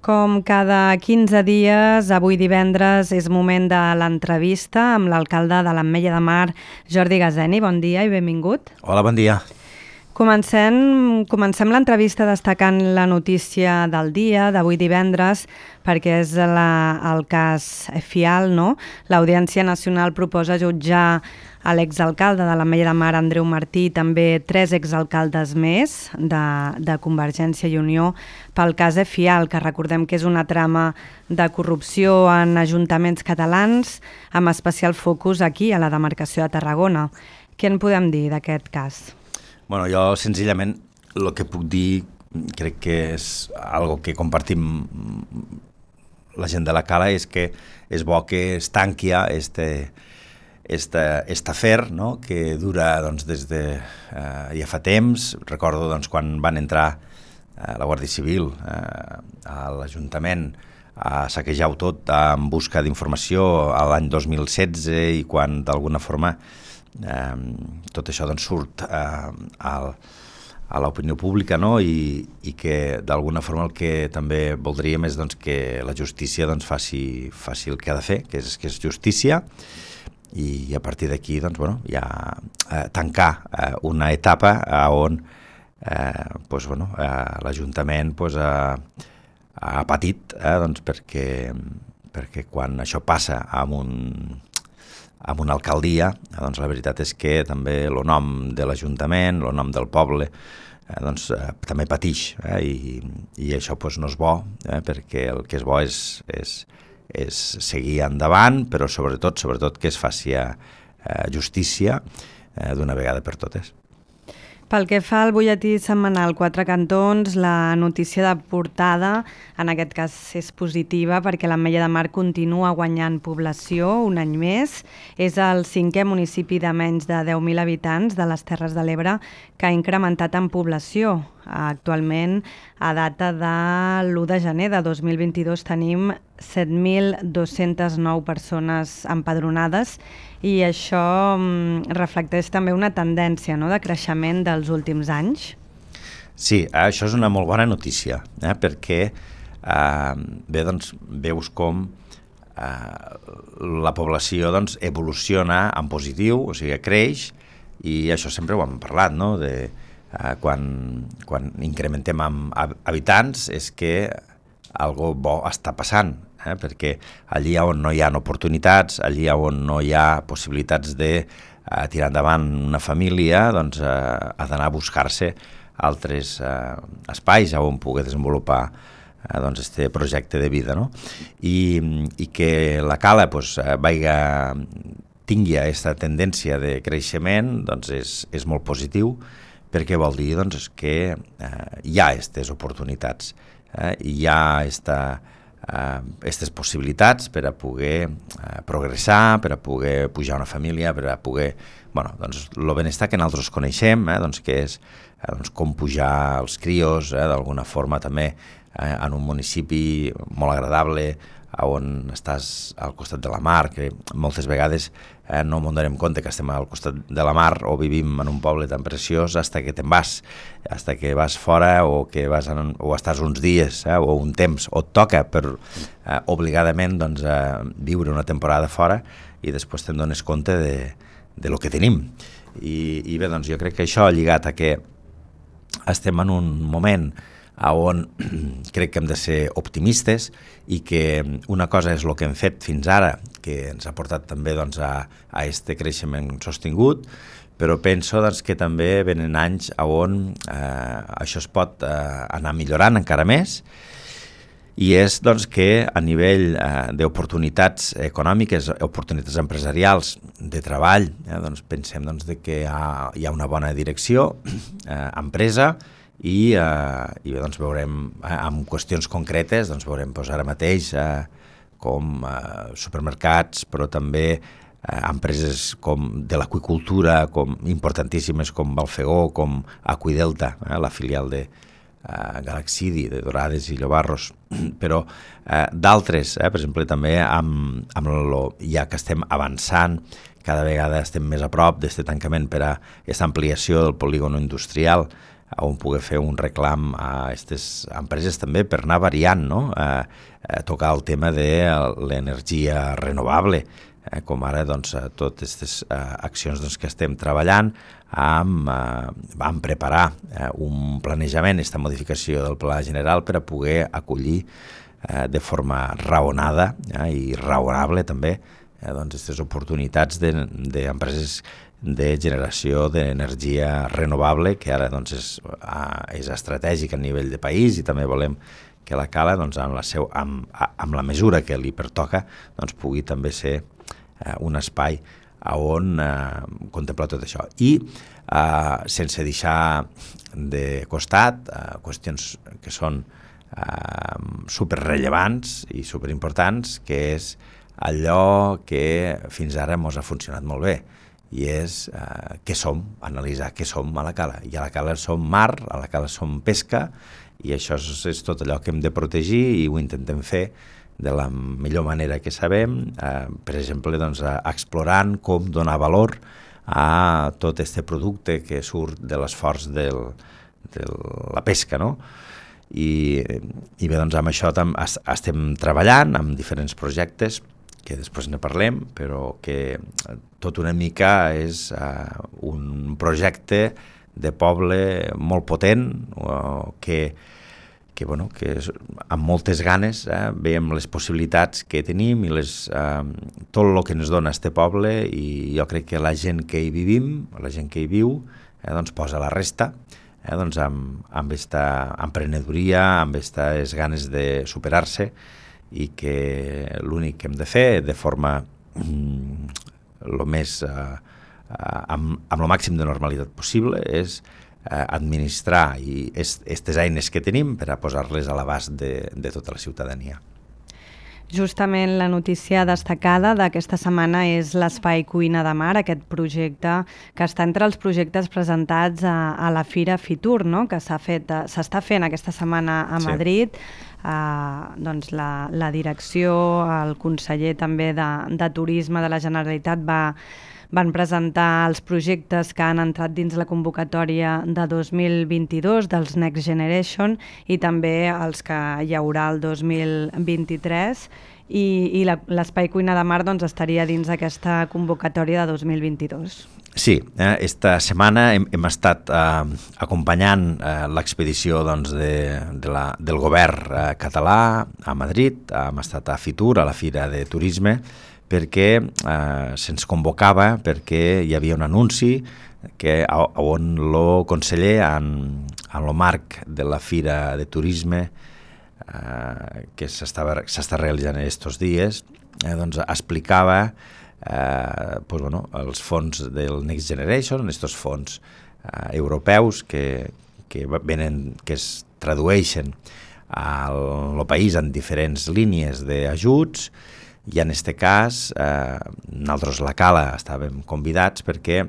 Com cada 15 dies, avui divendres és moment de l'entrevista amb l'alcalde de l'Ametlla de Mar, Jordi Gazeni. Bon dia i benvingut. Hola, bon dia. Comencem l'entrevista destacant la notícia del dia, d'avui divendres, perquè és el cas Fial, no? L'Audiència Nacional proposa jutjar a l'exalcalde de l'Ametlla de Mar, Andreu Martí, i també 3 exalcaldes més de Convergència i Unió pel cas Fial, que recordem que és una trama de corrupció en ajuntaments catalans, amb especial focus aquí, a la demarcació de Tarragona. Què en podem dir d'aquest cas? Bueno, jo senzillament el que puc dir crec que és algo que compartim la gent de la Cala, és que és bo que es tanqui este afer, no? Que dura doncs, des de ja fa temps. Recordo doncs, quan van entrar la Guàrdia Civil a l'Ajuntament a saquejar-ho tot en busca d'informació a l'any 2016, i quan d'alguna forma tot això doncs, surt a l'opinió pública, no? I que d'alguna forma el que també voldríem és doncs, que la justícia doncs, faci el que ha de fer, que és justícia, i a partir d'aquí doncs, bueno, ja tancar una etapa on doncs, bueno, l'Ajuntament doncs, ha patit, doncs, perquè quan això passa amb una alcaldia, doncs la veritat és que també el nom de l'Ajuntament, el nom del poble, doncs també patix, i això doncs, no és bo, perquè el que és bo és seguir endavant, però sobretot que es faci justícia d'una vegada per totes. Pel que fa al butlletí setmanal Quatre Cantons, la notícia de portada en aquest cas és positiva perquè l'Ametlla de Mar continua guanyant població un any més. És el 5è municipi de menys de 10.000 habitants de les Terres de l'Ebre que ha incrementat en població. Actualment, a data de l'1 de gener de 2022, tenim 7.209 persones empadronades, i això reflecteix també una tendència, no?, de creixement dels últims anys. Sí, això és una molt bona notícia, perquè bé, doncs, veus com la població doncs, evoluciona en positiu, o sigui, creix, i això sempre ho hem parlat, no?, quan incrementem amb habitants és que algo bo està passant, perquè allí on no hi ha oportunitats, allí on no hi ha possibilitats de tirar endavant una família, doncs ha d'anar a buscar-se altres espais on poder desenvolupar doncs, este projecte de vida, no? I que la Cala doncs, tingui aquesta tendència de creixement, doncs és molt positiu, perquè vol dir doncs, que hi ha aquestes oportunitats, hi ha aquestes possibilitats per a poder progressar, per a poder pujar una família, per a poder... Bueno, doncs, el benestar que nosaltres coneixem, doncs, que és com pujar els crios, d'alguna forma també en un municipi molt agradable, on estàs al costat de la mar, que moltes vegades no ens donem compte que estem al costat de la mar o vivim en un poble tan preciós fins que te'n vas, fins que vas fora o estàs uns dies o un temps, o et toca per obligadament doncs, viure una temporada fora, i després te'n dones compte de lo que tenim. I bé, doncs jo crec que això lligat a que estem en un moment on crec que hem de ser optimistes, i que una cosa és el que hem fet fins ara, que ens ha portat també doncs, a este creixement sostingut, però penso doncs, que també venen anys on això es pot anar millorant encara més, i és doncs, que a nivell d'oportunitats econòmiques, oportunitats empresarials, de treball, doncs, pensem doncs, que hi ha una bona direcció, empresa, i bé, doncs, veurem en qüestions concretes, doncs, veurem doncs, ara mateix com supermercats, però també empreses com de l'aqüicultura, com importantíssimes com Balfegó, com Aqüidelta, la filial de Galaxidi, de Dorades i Llobarros, però d'altres, per exemple, també ja que estem avançant, cada vegada estem més a prop d'aquest tancament per a aquesta ampliació del polígon industrial on poder fer un reclam a aquestes empreses també per anar variant, no? Tocar el tema de l'energia renovable, com ara doncs, totes aquestes accions doncs, que estem treballant vam preparar un planejament, aquesta modificació del Pla General per a poder acollir de forma raonada i raonable també doncs, aquestes oportunitats d'empreses de generació d'energia renovable, que ara doncs, és estratègic a nivell de país, i també volem que la Cala, doncs, amb la mesura que li pertoca, doncs, pugui també ser un espai on contemplar tot això. I sense deixar de costat qüestions que són superrellevants i superimportants, que és allò que fins ara ens ha funcionat molt bé, i és què som, analitzar què som a la Cala. I a la Cala som mar, a la Cala som pesca, i això és tot allò que hem de protegir, i ho intentem fer de la millor manera que sabem, per exemple, doncs, explorant com donar valor a tot aquest producte que surt de l'esforç de la pesca, no? I bé, doncs, amb això estem treballant amb diferents projectes, que després ne parlem, però que tot una mica és un projecte de poble molt potent, que amb moltes ganes veiem les possibilitats que tenim i tot el que ens dona este poble, i jo crec que la gent que hi vivim, la gent que hi viu, doncs posa la resta, doncs amb aquesta emprenedoria, amb aquestes ganes de superar-se, i que l'únic que hem de fer de forma amb el màxim de normalitat possible és administrar i aquestes eines que tenim per a posar-les a l'abast de tota la ciutadania. Justament la notícia destacada d'aquesta setmana és l'Espai Cuina de Mar, aquest projecte que està entre els projectes presentats a la Fira Fitur, no? Que s'està fent aquesta setmana a Madrid. Doncs la direcció, el conseller també de Turisme de la Generalitat van presentar els projectes que han entrat dins la convocatòria de 2022 dels Next Generation, i també els que hi haurà el 2023, i l'Espai Cuina de Mar doncs, estaria dins aquesta convocatòria de 2022. Sí, esta setmana hem estat acompanyant l'expedició doncs, del govern català a Madrid, hem estat a Fitur, a la Fira de Turisme, perquè se'ns convocava, perquè hi havia un anunci on el conseller, en el marc de la Fira de Turisme que s'està realitzant aquests dies, doncs explicava els fons del Next Generation, aquests fons europeus que es tradueixen al país en diferents línies d'ajuts. I en aquest cas, nosaltres, la Cala, estàvem convidats perquè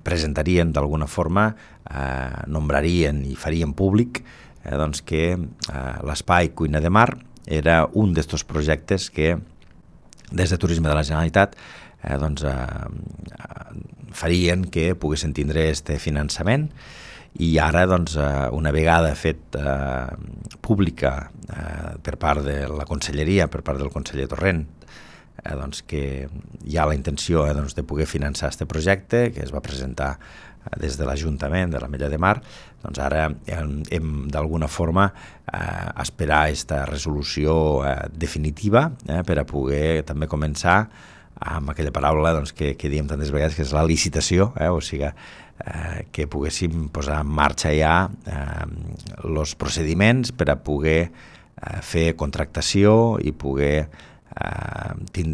presentarien d'alguna forma, nombrarien i farien públic doncs que l'Espai Cuina de Mar era un d'aquests projectes que des de Turisme de la Generalitat farien que poguessin tindre aquest finançament. I ara, doncs, una vegada fet pública per part de la Conselleria, per part del conseller Torrent, doncs que hi ha la intenció de poder finançar aquest projecte, que es va presentar des de l'Ajuntament de l'Ametlla de Mar, doncs ara hem d'alguna forma esperar aquesta resolució definitiva per a poder també començar amb aquella paraula que diem tantes vegades, que és la licitació, o sigui, que poguéssim posar en marxa ja els procediments per a poder fer contractació i poder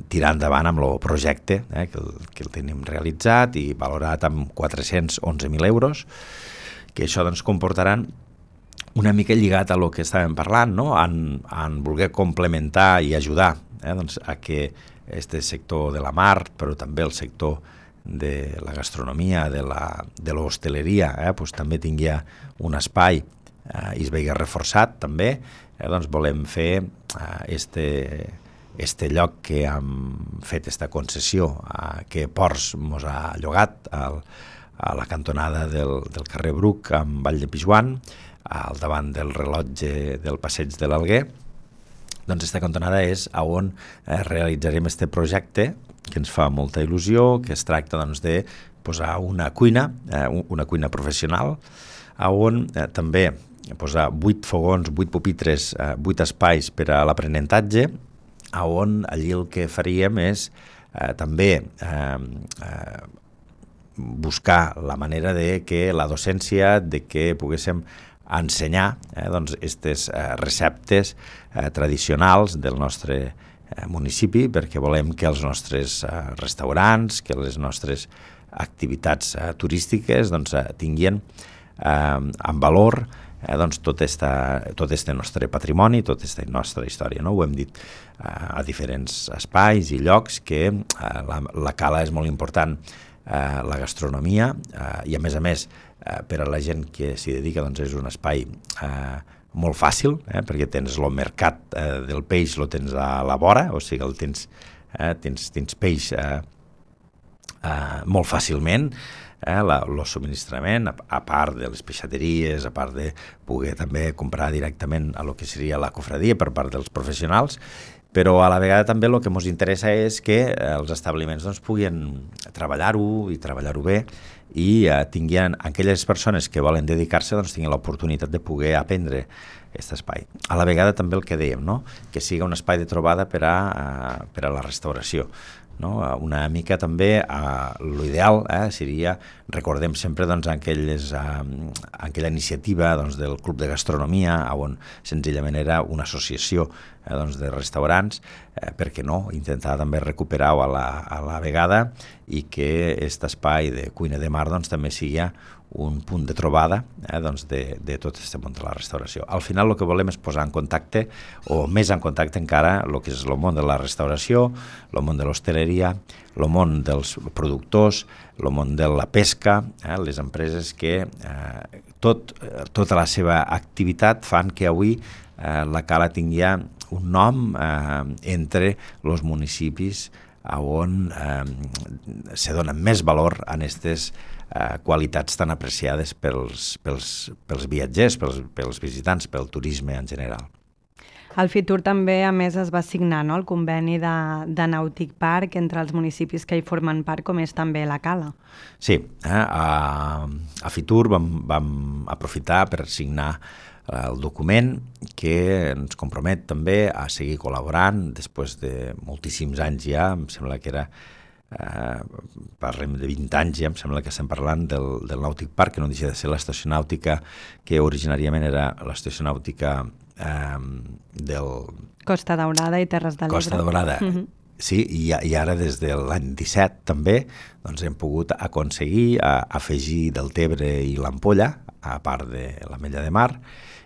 tirar endavant amb el projecte que el tenim realitzat i valorat amb 411.000 euros, que això doncs comportaran una mica lligat a lo que estàvem parlant, no? en voler complementar i ajudar doncs a que este sector de la mar, però també el sector de la gastronomia, de l'hostaleria, pues també tingui un espai i es vegi reforçat també, doncs volem fer este lloc que hem fet esta concessió que Ports mos ha llogat a la cantonada del carrer Bruc amb Vall de Pijuan, al davant del rellotge del passeig de l'Alguer. Doncs aquesta cantonada és on realitzarem este projecte, que ens fa molta il·lusió, que es tracta doncs, de posar una cuina professional, on també posar 8 fogons, 8 pupitres, 8 espais per a l'aprenentatge, on allí el que faríem és també buscar la manera de que la docència, de que poguéssim ensenyar doncs, aquestes receptes tradicionals del nostre municipi, perquè volem que els nostres restaurants, que les nostres activitats turístiques doncs, tinguin en valor doncs, tot este nostre patrimoni, tota aquesta nostra història. No? Ho hem dit a diferents espais i llocs que la cala és molt important, la gastronomia, i a més, per a la gent que s'hi dedica doncs és un espai molt fàcil, perquè tens el mercat del peix, el tens a la vora, o sigui, tens peix molt fàcilment, el subministrament, a part de les peixateries, a part de poder també comprar directament a lo que seria la cofradia per part dels professionals, però a la vegada també el que ens interessa és que els establiments doncs, puguin treballar-ho i treballar-ho bé i tinguin, aquelles persones que volen dedicar-se doncs, tinguin l'oportunitat de poder aprendre aquest espai. A la vegada també el que dèiem, no? Que sigui un espai de trobada per a la restauració. No? Una mica també l'ideal seria, recordem sempre doncs, aquella iniciativa doncs, del Club de Gastronomia, on senzillament era una associació doncs, de restaurants, per què no intentar també recuperar-ho a la vegada i que aquest espai de cuina de mar doncs, també sigui un punt de trobada doncs de tot aquest món de la restauració. Al final el que volem és posar en contacte, o més en contacte encara, el que és el món de la restauració, el món de l'hostaleria, el món dels productors, el món de la pesca, les empreses que tota la seva activitat fan que avui la Cala tingui un nom entre els municipis on se dona més valor a aquestes qualitats tan apreciades pels viatgers, pels visitants, pel turisme en general. Al Fitur també, a més, es va signar el conveni de Nàutic Park entre els municipis que hi formen part, com és també la Cala. Sí, a Fitur vam aprofitar per signar el document que ens compromet també a seguir col·laborant després de moltíssims anys ja, em sembla que era parlem de 20 anys ja, em sembla que estem parlant del Nàutic Park, que no deixa de ser l'estació nàutica que originàriament era l'estació nàutica del... Costa Daurada i Terres de l'Ebre. Costa Daurada, sí, i ara des de l'any 17 també doncs hem pogut aconseguir afegir Deltebre i l'Ampolla, a part de l'Ametlla de Mar,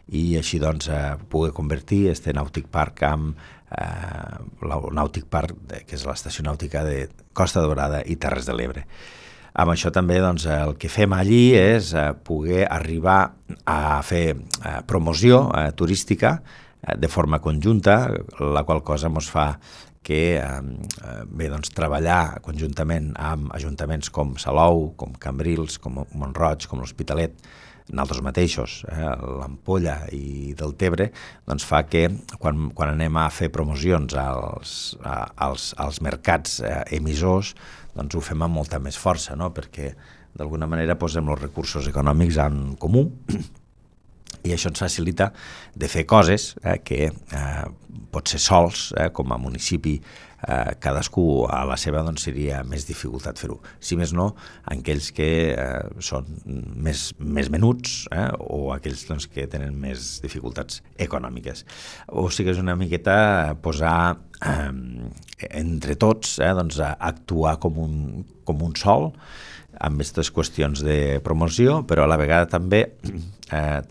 i així doncs poder convertir este Nàutic Park amb el Nàutic Park, que és l'estació nàutica de Costa Daurada i Terres de l'Ebre. Amb això també doncs, el que fem allí és poder arribar a fer promoció turística de forma conjunta, la qual cosa ens fa que doncs, treballar conjuntament amb ajuntaments com Salou, com Cambrils, com Mont-roig, com l'Hospitalet, nosaltres mateixos, l'Ampolla i Deltebre, doncs fa que quan anem a fer promocions als mercats emissors, doncs ho fem amb molta més força, no? Perquè d'alguna manera posem els recursos econòmics en comú i això ens facilita de fer coses que potser sols, com a municipi, cadascú a la seva doncs, seria més dificultat fer-ho. Si més no, aquells que són més menuts o aquells doncs, que tenen més dificultats econòmiques. O sigui, és una miqueta posar entre tots, doncs, actuar com un sol amb aquestes qüestions de promoció, però a la vegada també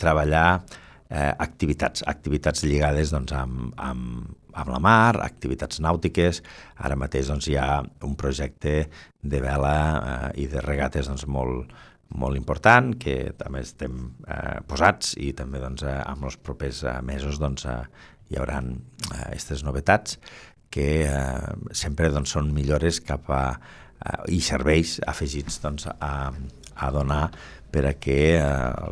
treballar activitats lligades doncs, amb la mar, activitats nàutiques. Ara mateix doncs, hi ha un projecte de vela i de regates doncs, molt important, que també estem posats i també doncs, en els propers mesos doncs, hi haurà aquestes novetats que sempre doncs, són millores cap a i serveis afegits doncs, a a donar per a que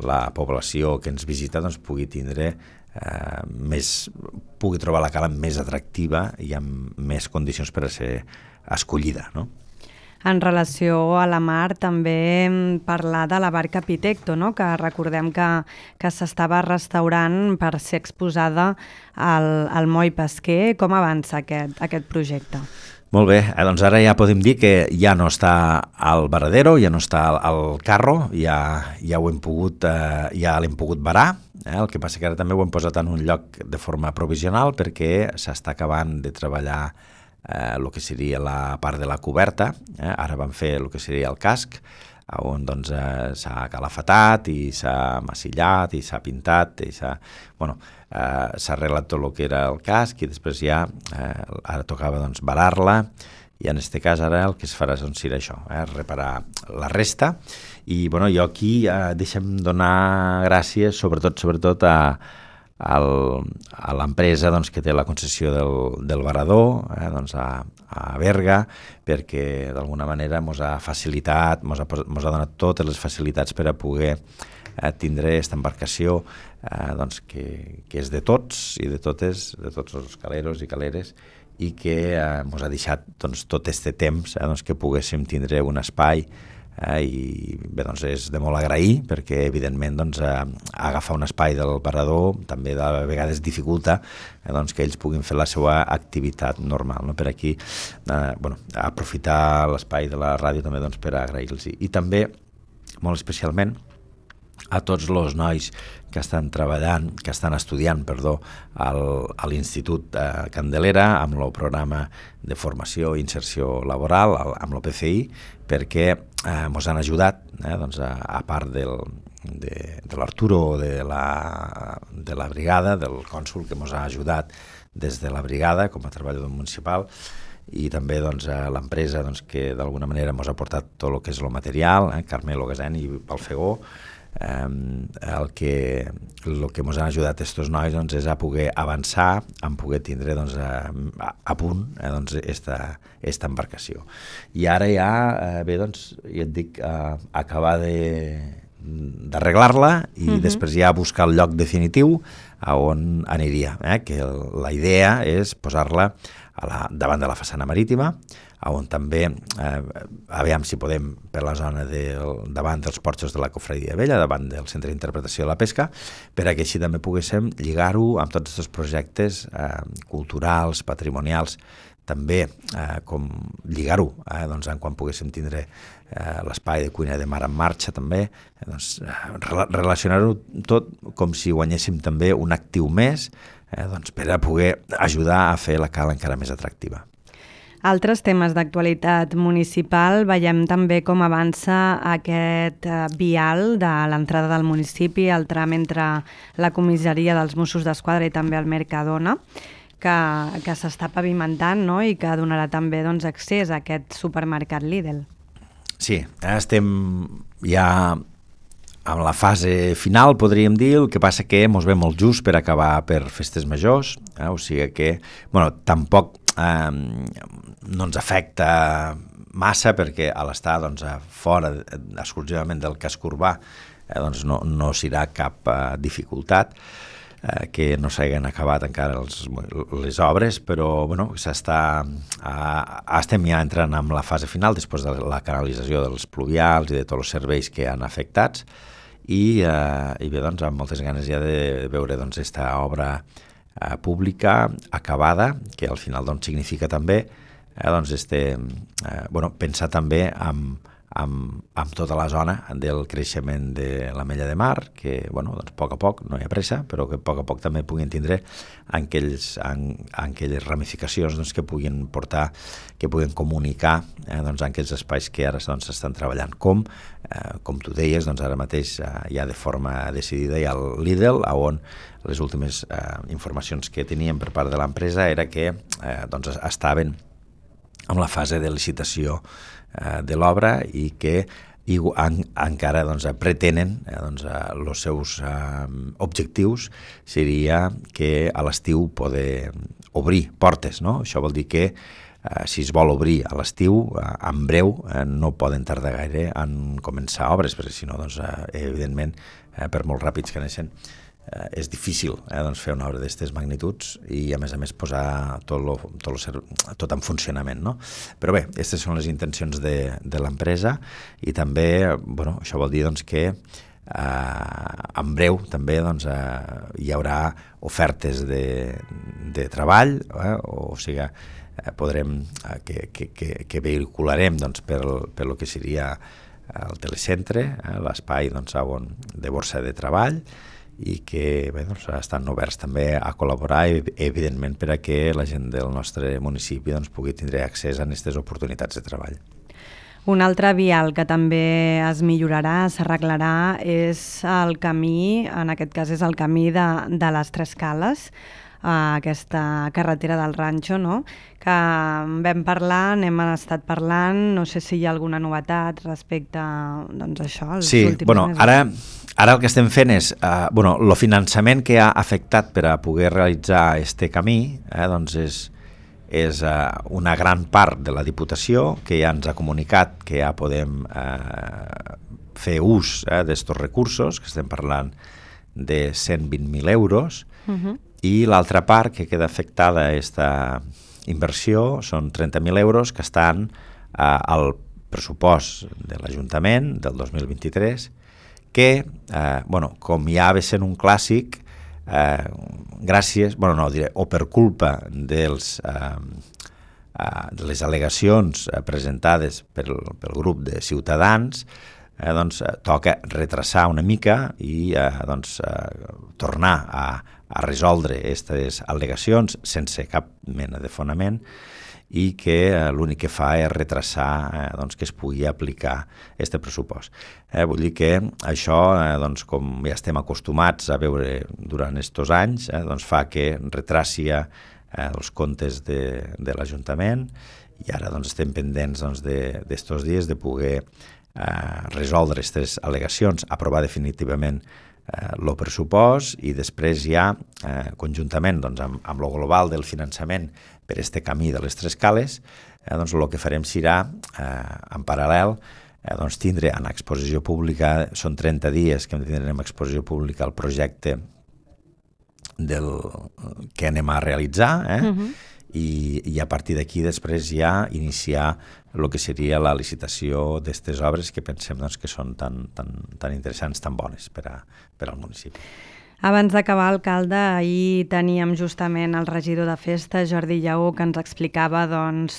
la població que ens visita doncs, pugui trobar la cala més atractiva i amb més condicions per a ser escollida, no? En relació a la mar, també parlar de la barca Pitecto, no? Que recordem que s'estava restaurant per ser exposada al moll pesquer. Com avança aquest projecte? Molt bé, doncs ara ja podem dir que ja no està al varadero, ja no està al carro, ja l'hem pogut varar. El que passa que ara també ho hem posat en un lloc de forma provisional perquè s'està acabant de treballar el que seria la part de la coberta. Ara van fer el que seria el casc, on doncs, s'ha calafatat i s'ha massillat i s'ha pintat i s'ha arreglat tot el que era el casc i després ja ara tocava doncs, varar-la i en aquest cas ara el que es farà doncs, serà això, reparar la resta i jo aquí deixa'm donar gràcies sobretot a l'empresa doncs, que té la concessió del varador, doncs a Berga, perquè d'alguna manera ens ha facilitat, ens ha donat totes les facilitats per a poder tindre aquesta embarcació doncs, que és de tots i de totes, de tots els caleros i caleres, i que ens ha deixat doncs, tot aquest temps doncs, que poguéssim tindre un espai i bé, doncs és de molt agrair perquè evidentment doncs, agafar un espai del parador també de vegades dificulta doncs, que ells puguin fer la seva activitat normal, no? Per aquí aprofitar l'espai de la ràdio també doncs, per agrair-los i també molt especialment a tots els nois que estan treballant, que estan estudiant, a l'Institut Candelera amb el programa de formació i inserció laboral, amb l'OPCI, perquè ens han ajudat, doncs, a part de l'Arturo de la brigada, del cònsul que ens ha ajudat des de la brigada com a treballador municipal, i també doncs, l'empresa doncs, que d'alguna manera ens ha portat tot el que és el material, Carmelo Gasen i Palfegó. El que ens han ajudat aquests nois doncs, és a poder avançar, a poder tindre doncs, a punt doncs, esta embarcació. I ara ja, doncs, ja et dic, acabar d'arreglar-la i després ja buscar el lloc definitiu a on aniria, que la idea és posar-la davant de la façana marítima, on també, aviam si podem, per la zona davant dels porxos de la Cofradia Vella, davant del Centre d'Interpretació de la Pesca, per a que així també poguéssim lligar-ho amb tots aquests projectes culturals, patrimonials, també com lligar-ho, doncs, quan poguéssim tindre l'espai de cuina de mar en marxa també, doncs, relacionar-ho tot com si guanyéssim també un actiu més doncs, per a poder ajudar a fer la cala encara més atractiva. Altres temes d'actualitat municipal, veiem també com avança aquest vial de l'entrada del municipi, el tram entre la comissaria dels Mossos d'Esquadra i també el Mercadona, que s'està pavimentant, no? I que donarà també doncs, accés a aquest supermercat Lidl. Sí, estem ja amb la fase final, podríem dir, el que passa que ens ve molt just per acabar per festes majors, o sigui que, tampoc no ens afecta massa perquè a l'estar doncs, fora exclusivament del casc urbà doncs no serà cap dificultat que no s'hagin acabat encara les obres, però estem ja entrant en la fase final després de la canalització dels pluvials i de tots els serveis que han afectats i bé, doncs, amb moltes ganes ja de veure doncs, aquesta obra pública acabada, que al final doncs, significa també doncs, pensar també amb tota la zona del creixement de l'Ametlla de Mar, que doncs, a poc, no hi ha pressa, però que a poc també puguin tindre aquelles ramificacions doncs, que puguin portar, que puguin comunicar doncs, en aquells espais que ara s'estan treballant. Com tu deies, doncs, ara mateix ja de forma decidida hi ha el Lidl, on les últimes informacions que teníem per part de l'empresa era que doncs, estaven en la fase de licitació de l'obra i que encara doncs, pretenen els seus objectius seria que a l'estiu poder obrir portes, no? Això vol dir que si es vol obrir a l'estiu, en breu no poden tardar gaire en començar obres, perquè si no, doncs, evidentment, per molt ràpids que neixen, és difícil doncs fer una obra d'aquestes magnituds i a més posar tot en funcionament, no? Però bé, aquestes són les intencions de l'empresa i també, bueno, això vol dir doncs, que en breu també doncs, hi haurà ofertes de treball, o sigui, podrem, que vehicularem doncs, per lo que seria el telecentre, l'espai doncs, de borsa de treball, i que bé, doncs, estan oberts també a col·laborar, evidentment, per a que la gent del nostre municipi doncs, pugui tindre accés a aquestes oportunitats de treball. Un altre vial que també es millorarà, s'arreglarà, és el camí, en aquest cas és el camí de les Tres Cales, aquesta carretera del Ranxo, no? Que vam parlar, n'hem estat parlant, no sé si hi ha alguna novetat respecte doncs, a això. Sí, bueno, ara el que estem fent és, el finançament que ha afectat per a poder realitzar este camí, doncs és una gran part de la Diputació que ja ens ha comunicat que ja podem fer ús d'estos recursos, que estem parlant de 120.000 euros, i l'altra part que queda afectada a aquesta inversió són 30.000 euros que estan al pressupost de l'Ajuntament del 2023, que, com ja ve sent un clàssic, gràcies, o per culpa de les al·legacions presentades pel grup de Ciutadans, doncs toca retrasar una mica i tornar a resoldre aquestes al·legacions sense cap mena de fonament i que l'únic que fa és retrasar que es pugui aplicar aquest pressupost. Vull dir que això, com ja estem acostumats a veure durant aquests anys, fa que retraci els comptes de l'Ajuntament i ara estem pendents d'estos dies de poder resoldre aquestes al·legacions, aprovar definitivament el pressupost i després ja, conjuntament amb el global del finançament per este camí de les Tres Cales, el que farem serà, en paral·lel, tindre en exposició pública, són 30 dies que tindrem exposició pública el projecte que anem a realitzar, i a partir d'aquí després ja iniciar el que seria la licitació d'aquestes obres que pensem que són tan interessants, tan bones per al municipi. Abans d'acabar, alcalde, ahir teníem justament el regidor de festa, Jordi Lleó, que ens explicava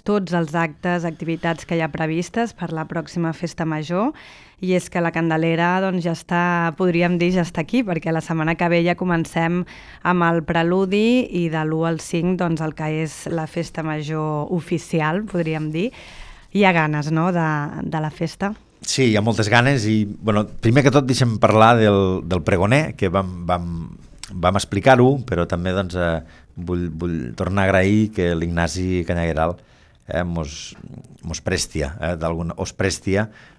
tots els actes, activitats que hi ha previstes per la pròxima festa major, i és que la Candelera ja està, podríem dir, ja està aquí, perquè la setmana que ve ja comencem amb el preludi i de l'1 al 5 el que és la festa major oficial, podríem dir. Hi ha ganes, no?, de la festa? Sí, hi ha moltes ganes i, primer que tot deixem parlar del pregoner, que vam explicar-ho, però també vull tornar a agrair que l'Ignasi Canyagueral os prestia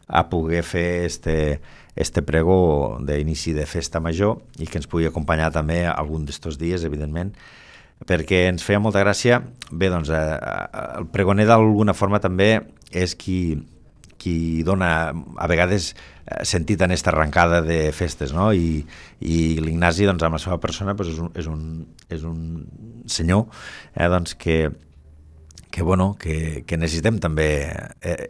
a poder fer este pregó d'inici de festa major i que ens pugui acompanyar també algun d'estos dies, evidentment, perquè ens feia molta gràcia. Bé, el pregoner d'alguna forma també és qui dona a vegades sentit en aquesta arrencada de festes, no? I l'Ignasi, amb la seva persona, és un senyor que necessitem també.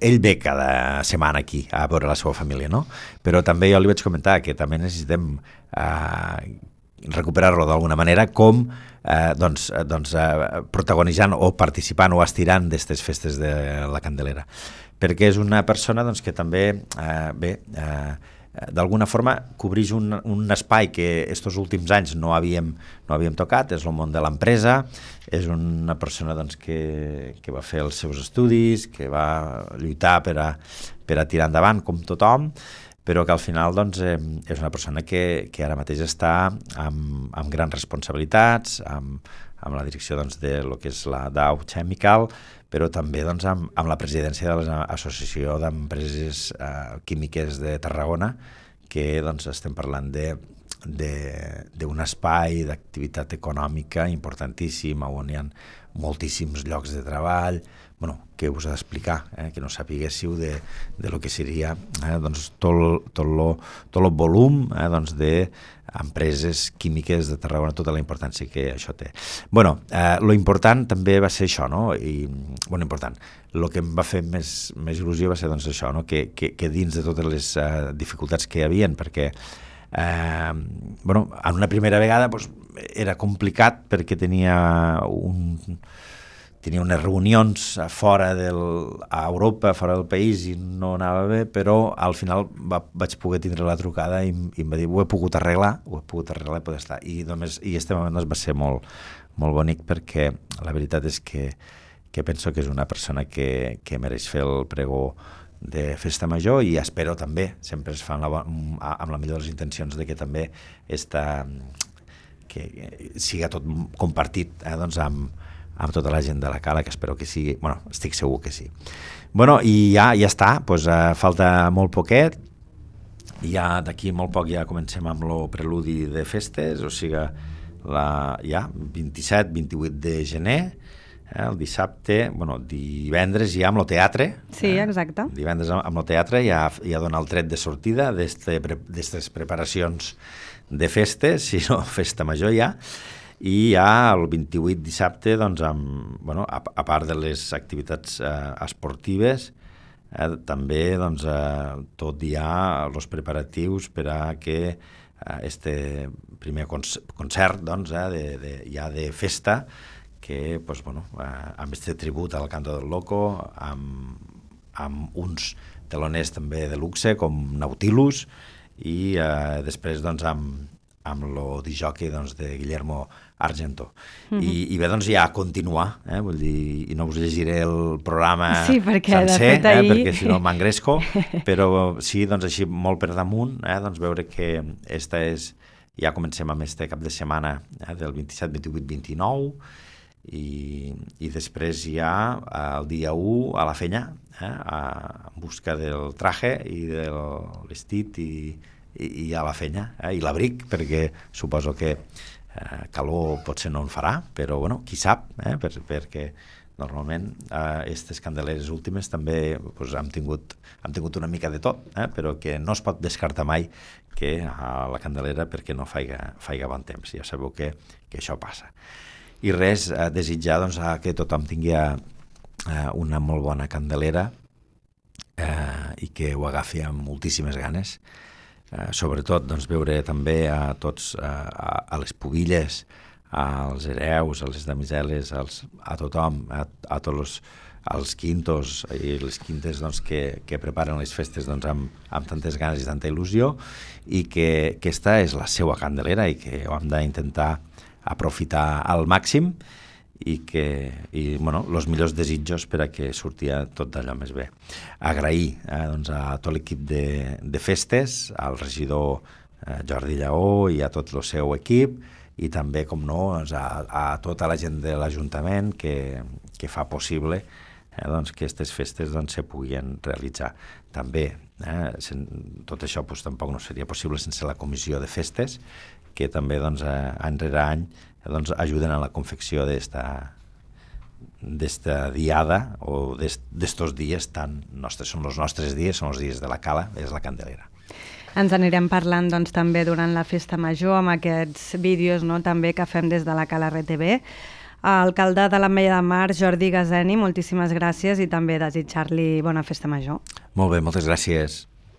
Ell ve cada setmana aquí a veure la seva família, no? Però també jo li vaig comentar que també necessitem recuperar-lo d'alguna manera com protagonitzant o participant o estirant d'aquestes festes de la Candelera, perquè és una persona que també d'alguna forma cobreix un espai que estos últims anys no havíem tocat, és el món de l'empresa. És una persona que va fer els seus estudis, que va lluitar per a tirar endavant com tothom, però que al final és una persona que ara mateix està amb grans responsabilitats, amb la direcció de lo que és la Dow Chemical, però també amb la presidència de l'Associació d'Empreses Químiques de Tarragona, que estem parlant de d'un espai d'activitat econòmica importantíssim, on hi ha moltíssims llocs de treball, què us ha d'explicar, que no sapiguéssiu de lo que seria doncs, tot el volum d'empreses químiques de Tarragona, tota la importància que això té. Lo important també va ser això, no? Important. El que em va fer més il·lusió va ser doncs, això, no? que dins de totes les dificultats que hi havia, perquè en una primera vegada era complicat perquè tenia unes reunions fora a Europa, fora del país, i no anava bé, però al final vaig poder tindre la trucada i em va dir, ho he pogut arreglar i poder estar. I este moment va ser molt, molt bonic, perquè la veritat és que penso que és una persona que mereix fer el pregó de Festa Major, i espero també, sempre es fa amb la millor de les intencions, de que també que siga tot compartit amb tota la gent de la Cala, que espero que sigui, estic segur que sí. I ja està, falta molt poquet, i ja d'aquí molt poc ja comencem amb el preludi de festes, o sigui, ja 27-28 de gener, el dissabte, divendres ja amb el teatre. Sí, exacte. Divendres amb el teatre ja dona el tret de sortida d'aquestes preparacions de festes, si no, Festa Major ja. I ja el 28 dissabte, doncs, a part de les activitats esportives, també tot ja els preparatius per a que este primer concert ja de festa, que amb este tribut al Canto del Loco, amb uns teloners també de luxe com Nautilus, i després amb el disjockey de Guillermo Argento. I bé, ja continuar, vull dir, i no us llegiré el programa sencer, perquè si no m'engresco, però sí, així molt per damunt, veure que ja comencem amb este cap de setmana del 27, 28, 29, i després ja el dia 1 a la Fenya, en busca del traje i del vestit i a la Fenya, i l'abric, perquè suposo que calor potser no en farà, però qui sap, perquè normalment aquestes candeleres últimes també hem tingut una mica de tot, però que no es pot descartar mai que a la Candelera perquè no faiga bon temps. Ja sabeu que això passa. I res, desitjar que tothom tingui una molt bona Candelera i que ho agafi amb moltíssimes ganes. Sobretot veure també a tots, a les pubilles, als hereus, a les damiseles, a tothom, a tots els quintos i les quintes que preparen les festes amb tantes ganes i tanta il·lusió, i que aquesta és la seva Candelera i que ho hem d'intentar aprofitar al màxim, i els millors desitjos per a que surti tot d'allò més bé. Agrair a tot l'equip de festes, al regidor Jordi Lleó i a tot el seu equip, i també, com no, a tota la gent de l'Ajuntament que fa possible que aquestes festes se puguin realitzar. També, tot això tampoc no seria possible sense la comissió de festes, que també any rere any ajuden a la confecció d'esta diada, o d'estos dies tan nostres. Són els nostres dies, són els dies de la Cala, és la Candelera. Ens anirem parlant també durant la Festa Major amb aquests vídeos també que fem des de la Cala RTV. Alcalde de l'Ametlla de Mar, Jordi Gazeni, moltíssimes gràcies, i també desitjar-li bona Festa Major. Molt bé, moltes gràcies.